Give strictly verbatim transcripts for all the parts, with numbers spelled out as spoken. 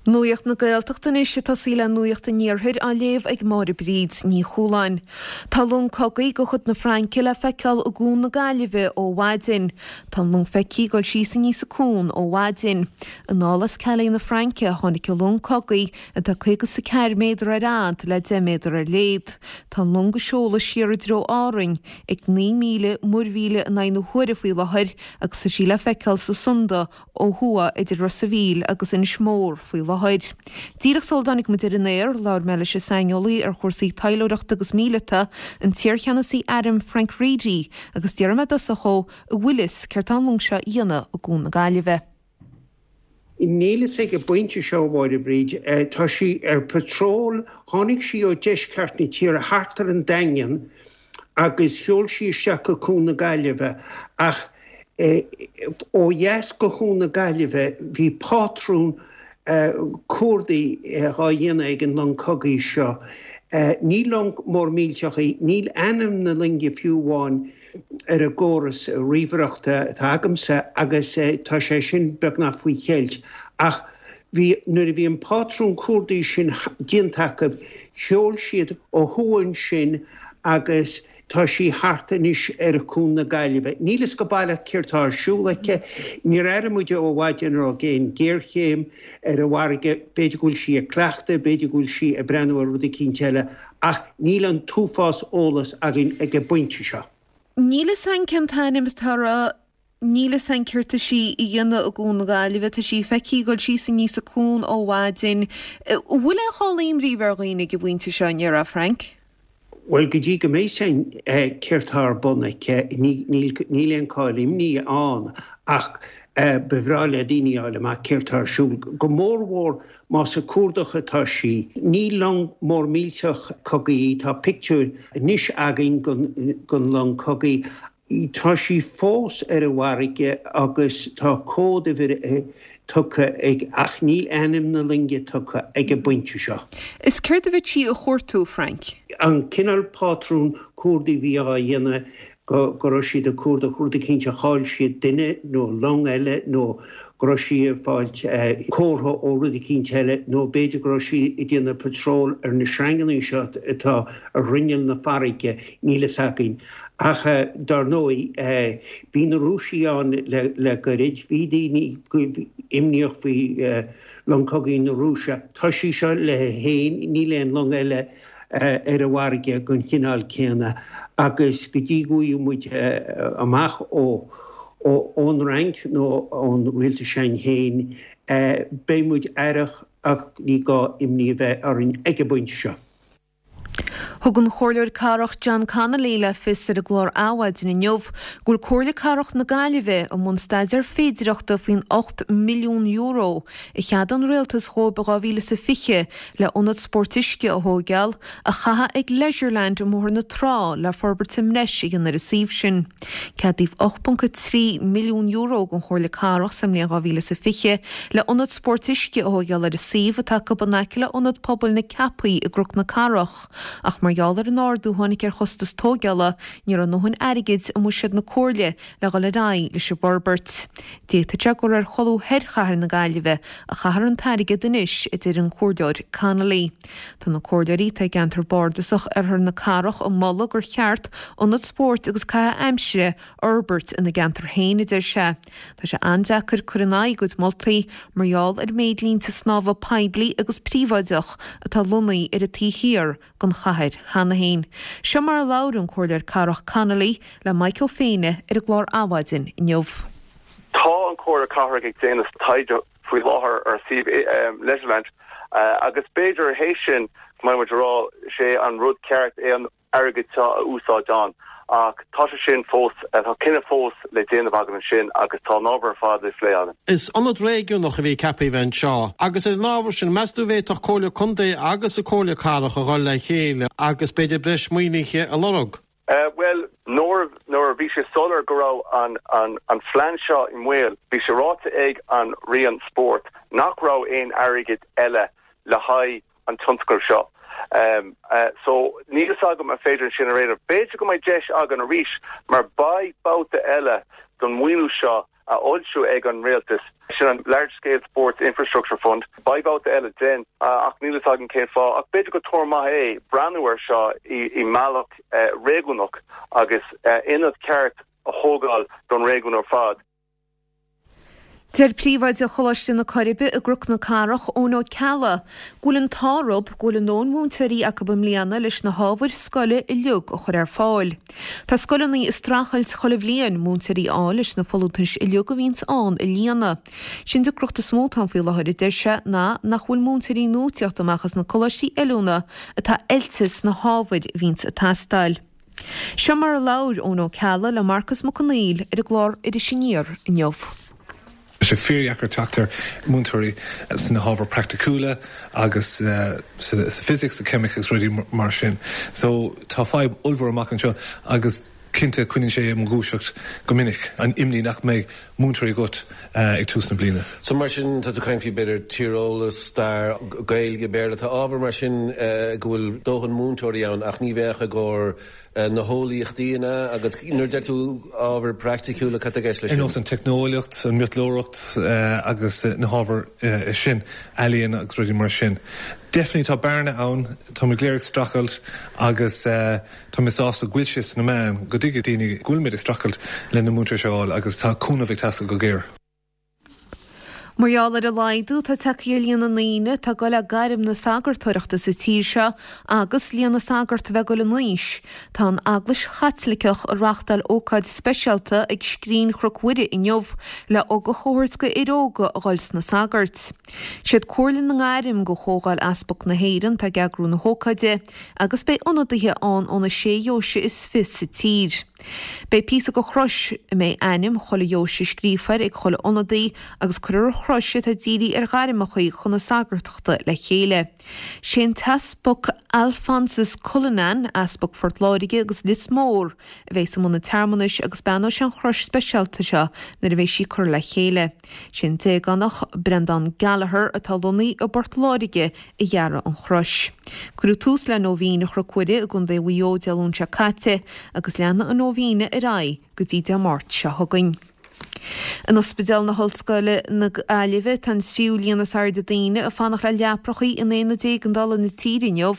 Nuacht na Gaeltachta anois ag tosaí le Nuacht an Iarthair á léamh ag Máire Bríd Ní Chualáin. Tá long cogaidh de chuid na Fraince le feiceáil i gCuan na Gaillimhe ó mhaidin. Tá an long feicthe ag dul síos aníos an cuan ó mhaidin. Anall as Calais na Fraince a tháinig an long cogaidh atá caoga is a ceathair méadar ar fhad le deich méadar ar leithead. Tá an long ag seoladh siar i dtreo Árainn ag naoi míle muirmhíle in aghaidh na huaire faoi láthair agus tá sí le feiceáil sa Sunda ó thuaidh idir Ros an Mhíl agus Inis Mór faoi láthair. Díreach sula dtáinig muid ar an aer, labhair mé leis an saineolaí ar chúrsaí taidhleoireachta agus míleata, an t-iarcheannasaí airm Frank Reidy, agus d'iarr mé i dtosach dhó an bhfuil fhios céard tá an long seo a dhéanamh i gCuan na Gaillimhe. Níl fhios ag an bpointe seo a Mháire Bríd, tá sí ar patrol, tháinig sí ó deisceart na tíre thart ar an Daingean agus sheol sí isteach go Cuan na Gaillimhe ach ó dheas go Cuan na Gaillimhe bhí pátrún cuardaigh dhá dhéanamh ag an long cogaidh seo. Ní long mór millteach í, níl ainm na loinge fiú amháin ar an gcóras ríomhaireachta atá agamsa agus tá sé sin beagnach faoi cheilt. Ach bhí nuair a bhí an pátrún cuardaigh sin déanta acu, sheol siad ó thuaidh ansin agus tá sí thart anois ar Chuan na Gaillimhe. Níl fhios go baileach céard tá ar siúl aici. Níor airigh muid ó mhaidin an raibh aon géarchéim ar an bhfarraige, b'fhéidir go bhfuil sí ag cleachtadh, b'fhéidir go bhfuil sí ag breathnú ar rud eicínt eile, ach níl an t-uafás eolas againn ag an bpointe seo. Níl fhios againn cén t-ainm atá uirthi. Níl fhios againn céard tá sí a dhéanamh i gCuan na Gaillimhe. Tá sí feicthe ag dul síos aníos an cuan ó mhaidin. An bhfuil aon chall imní ar dhaoine ag an bpointe seo, an ndéarfá, Frank? Bhuel, go dtí go mbeidh fhios againn céard tá ar bun aici, níl aon chall imní ann ach ba bhreá le daoine a fháil amach céard tá ar siúl, go mórmhór más ag cuardach atá sí. Ní long mór millteach cogaidh í, tá pictiúr anois againn den long cogaidh. Tá sí fós ar an bhfarraige agus tá códuimhir tugtha ag ach níl ainm na loinge tugtha ag an bpointe seo. Is céard a bheadh sí a chuartú, Frank? An cineál pátrún cuardaigh a bhí á dhéanamh go go raibh siad ag cuardach rud eicínt a chaill siad duine nó long eile nó go raibh sí ag fáilt comhartha ó rud eicínt eile nó b'fhéidir go raibh sí ag déanamh patról ar na sreanganna seo atá ar ghrinneall na farraige, níl fhios againn. Ach dar ndóigh bhí na Rúisigh ann le goirid, bhí daoine imníoch faoi long cogaidh na Rúise. Tá sí seo léi féin, níl aon long eile ar an bhfarraige den chineál céanna agus go dtí go bhfaighidh muid amach ó ón Fhrainc nó ón rialtas s'againn féin beidh muid aireach ach ní gá imní a bheith orainn ag an bpointe seo. Thug an Comhairleoir Cathrach John Connolly le fios ar an gclár Adhmhaidin inniu go bhfuil Comhairle Cathrach na Gaillimhe i mbun staidéar féidireachta faoin ocht milliún euro a cheadaigh an rialtas dhóibh i dhá mhíle is a fiche le ionad spóirt uisce a thóigeáil a chaitheamh ag Leisureland i mBóthar na Trá le forbairt i mbreis a dhéanamh ar an suíomh sin. Ceadaíodh ocht ponc a trí milliún euro don Chomhairle Cathrach sa mbliain dhá mhíle is a fiche le ionad spóirt uisce a thóigeáil ar an suíomh atá acu in aice le Ionad Pobail na Ceapaí i gCnoc na Cathrach. Ach mar gheall ar an ardú a tháinig ar chostas tóigeála, ní raibh a ndóthain airgid i mbuiséad na Comhairle le dhul ar aghaidh leis an bhforbairt. D'fhéadfadh sé gur ar cholbha thoir chathair na Gaillimhe a chaithfear an t-airgead anois, a deir an Comhairleoir Connolly. Tá na comhairleoirí atá i gceantar bardasach Oirthear na Cathrach ag moladh gur cheart ionad spóirt agus caitheamh aimsire a fhorbairt ina gceantar féin, a deir sé. Tá sé an-deacair cur in aghaidh a gcuid moltaí mar gheall ar an méid línte snámha poiblí agus príobháideach atá lonnaithe ar an taobh thiar den chathair cheana féin. Seo mar a labhair an Comhairleoir Cathrach Connolly le Maidhc Ó Féinne ar an gclár Adhmhaidin inniu. Tá an Chomhairle Cathrach ag déanamh taighde faoi láthair ar suíomh Leisureland agus b'fhéidir théis sin go mbeidh muid ag rá sé an rud ceart é an airgead seo a úsáid ann. Ach tá sé sin fós, tá cinneadh fós le déanamh againn ansin agus tá an ábhar ar fad le plé againn. Is ionad réigiúnach a bhí ceaptha a bheith anseo agus ar an ábhar sin, meas tú an bhféadfadh Comhairle Contae agus an Comhairle Cathrach a dhul le chéile agus b'fhéidir breis maoinithe a lorg? Bhuel, nuair nuair a bhí sé soiléir go raibh an an an phlean seo i mbaol, bhí sé ráite ag an Roinn Spóirt nach raibh aon airgead eile le haghaidh an tionscadal seo. So níl fhios agam an féidir sin a réiteach. B'fhéidir go mbeidh deis againn arís mar beidh babhta eile don mhaoiniú seo a fhoilsiú ag an rialtas sin an Large Scale Sports Infrastructure Fund. Beidh babhta eile den ach níl a fhios againn cén fáth ach b'fhéidir go tuar maith é breathnú ar seo i, i mbealach eh, réigiúnach agus eh, ionad ceart a thógáil don réigiún ar fad. Deir príomhoide Choláiste na Coiribe i gCnoc na Cathrach Eoin Ó Ceallaigh, go bhfuil an t-ádh orthu go bhfuil a ndóthain múinteoirí acu i mbliana leis na hábhair scoile uilig a chur ar fáil. Tá scoileanna ag streachailt chuile bhliain múinteoirí a fháil leis na folúntais uilig a bhíonns ann a líonadh. Sin deacracht is mó atá faoi láthair a deir sé ná nach bhfuil múinteoirí nua ag teacht amach as na coláistí oiliúna atá oilte sna hábhair a bhíonns ag teastáil. Seo mar a labhair Eoin Ó Ceallaigh le Marcas Mac Conghail ar an gclár Iris Aniar inniu. sé fíordheacair teacht ar múinteoirí sna hábhair praiticiúla agus uh, sa, sa physics, sa ceimic agus rudaí mar sin. So tá fadhb ollmhór amach anseo agus cinnte coinníonn sé mo dhúiseacht go minic an imní nach mbeidh múinteoirí agat uh, ag tús na bliana. So mar sin tá tú ag caint faoi b'fhéidir tíreolas stair Gaeilge Béarla tá ábhar mar sin uh, go bhfuil dóthain múinteoirí ann ach ní bheadh i gcomhair uh, na heolaíochtaí agus nuair deir tú ábhar praiticiúla cad leis Ar nós an teicneolaíocht, an mhiotalóireacht uh, agus uh, na hábhair uh, sin ealaíon agus rudaí mar sin. Definitely tá bearna ann tá muid ag streachailt agus uh, tá mé sásta go bhfuil sé sna meáin go dtuigfidh daoine go bhfuil muid ag streachailt le na múinteoirí seo agus tá cúnamh ag teastáil go géar. Mar gheall ar an laghdú atá tagtha ar líon na ndaoine atá ag dul le gairm na sagartóireachta sa tír seo agus líon na sagart a bheith ag dul in aois. Tá an Eaglais Chaitliceach ag reáchtáil ócáid speisialta ag scrín Chnoc Mhuire inniu le ugach a thabhairt do fhir óga a dhul sna sagairt. Siad Comhairle na nGairm de Chomhdháil Easpag na hÉireann atá ag eagrú na hócáide agus beidh ionadaithe ann ó na sé dheoise is fiche sa tír. Beidh píosa de chrois a mbeidh ainm chuile dheoise scríofa air ag chuile ionadaí agus cuirfear an chrois atá dírithe ar ghairmeacha chun na sagartachta le chéile. Sé an tEaspag Alphonsus Cullinan Easpag Phort Láirge agus Lios Mór a bheidh i mbun an tsearmanais agus beannóidh sé an chrois speisialta seo nuair a bheidh sí curtha le chéile. Sin déganach Brendan Gallagher atá lonnaithe i bPort Láirge a dhear an chrois. Cuireadh tús le nóibhéin Chnoc Mhuire i gContae Mhaigh Eo Dé Luain seo caite agus leanfaidh an nóibhéin ar aghaidh go dtí Dé Máirt seo chugainn. In Ospidéal na hOllscoile na Gaillimhe tá an tríú líon is airde daoine ag fanacht le leaprachaí in aonad éigeandála na tíre inniu,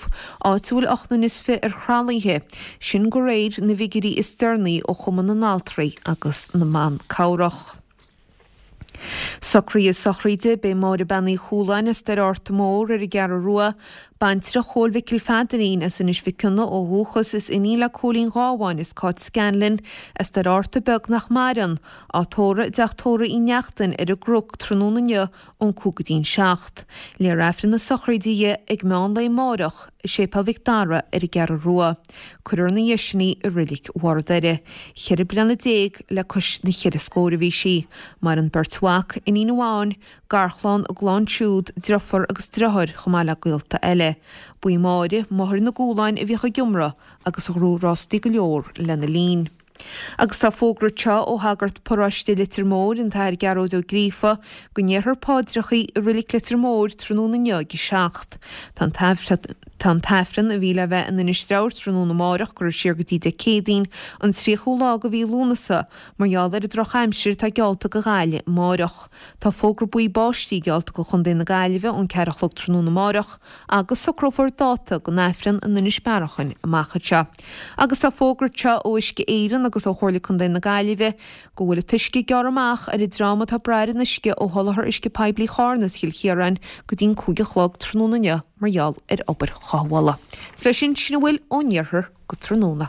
áit a bhfuil ocht nduine is fiche ar thralaithe, sin de réir na bhfigiúirí is deireanaí ó Chumann na nAltraí agus na mBan Cabhrach. Socruithe sochraide beidh Máire Bean Uí Chualáin as Doire Fhearta Mór ar an gCeathrú Rua, baintreach Chóil Mhicil Pheadairín as Inis Mhic Cionnaith ó dhúchas is iníon le Cóilín Gábháin is Cáit Scanlon as Doire Fhearta Beag nach maireann, á tórramh i dteach tórraimh Uí Neachtain ar an gCnoc tráthnóna inniu ón cúig go dtí'n seacht. Léifear Aifreann na sochraide di ag meán lae amárach i Séipéal Mhic Dara ar an gCeathrú Rua. Cuirfear ina dhiaidh sin í i Reilig Bharr Doire. Ceithre bliana déag le cois na cheithre scór a bhí sí, maireann beirt mhac, iníon amháin, garchlann, a gclann siúd, deirfiúr agus deartháir chomh maith le gaolta eile. Ba í Máire, máthair na gCualáin a bhíodh ag iomramh agus a ghnóthaigh rástaí go leor lena linn. Agus tá fógra anseo ó shagart paróiste Leitir Móir an tAthair Gearóid Ó Gríofa go ndéarfar paidreacha i Reilig Leitir Móir tráthnóna inniu ag a seacht. Tá an Tá an t-aifreann a bhí le bheith in Inis Treabhair tráthnóna amárach curtha siar go dtí Dé Céadaoin an tríochú lá de mhí Lúnasa mar gheall ar an drochaimsir atá geallta do Ghaillimh amárach. Tá fógra buí báistí geallta do Chontae na Gaillimhe ón ceathair a chlog tráthnóna amárach agus socrófar dáta don aifreann in Inis Bearachain amach anseo. Agus tá fógra anseo ó Uisce Éireann agus ó Chomhairle Contae na Gaillimhe go bhfuil an t-uisce gearrtha amach ar an dream atá ag brath ar an uisce ó sholáthar uisce poiblí Charna is Chill Chiaráin go dtí'n cúig a chlog tráthnóna inniu mar gheall ar obair chothabhála. Is leis sin sin a bhfuil ón iarthar go tráthnóna.